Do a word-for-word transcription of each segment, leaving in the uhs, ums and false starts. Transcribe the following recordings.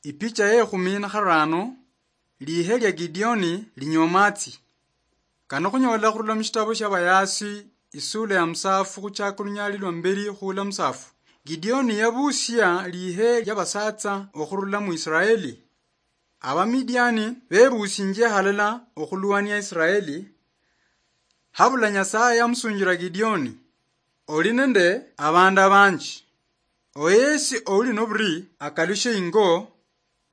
Ipicha yekhumi na kharano, lihe lia Gideoni linywa matsi. Kano khunyola khurula mushitabo shia Bayasi, isula ya musafu khuchaka lunyali lwa mberi khula musafu. Gideoni yabusia lihe lia basatsa okhurula mu Israeli. Abamidiani bebusinjia halala okhulwania Israeli. Habula Nyasaye yamusunjira Gideoni, "Oli nende abandu abanji. Oyesi ouli noburi akalushe ingo."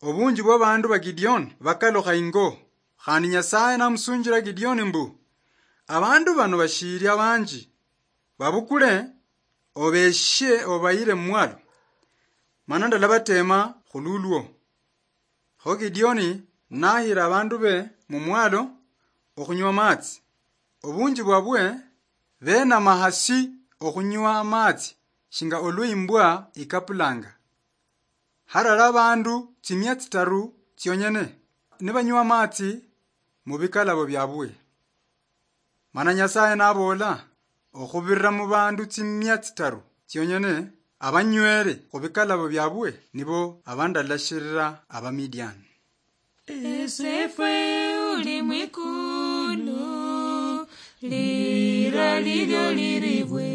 Obunji bwa bandu ba Gideoni bakalukha ingo, khandi Nyasaye namusunjira Gideoni mbu, "Abandu bano bashiri abanji, babukule obeshe obayire mumwalo, mana ndalabatema khululwo." Kho Gideoni nahira abandu be mumwalo okhunywa amatsi. Obunji bwabwe benama hasi okhunywa amatsi shinga olwa imbwa ikapulanga. Harali abandu tsimia tsitaru tsionyene nibanywa amatsi mubikalabo biabwe. Mana Nyasaye naboola, "Okhubirira mubandu tsimia tsitaru tsionyene abanywere khubikalabo biabwe nibo abandalashirira Abamidiani." Esefe uli mwikulu, lira lilyo liribwe,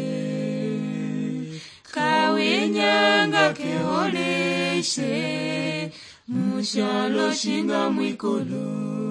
kawinyanga keholeshe, mushalo shinga mwikulu.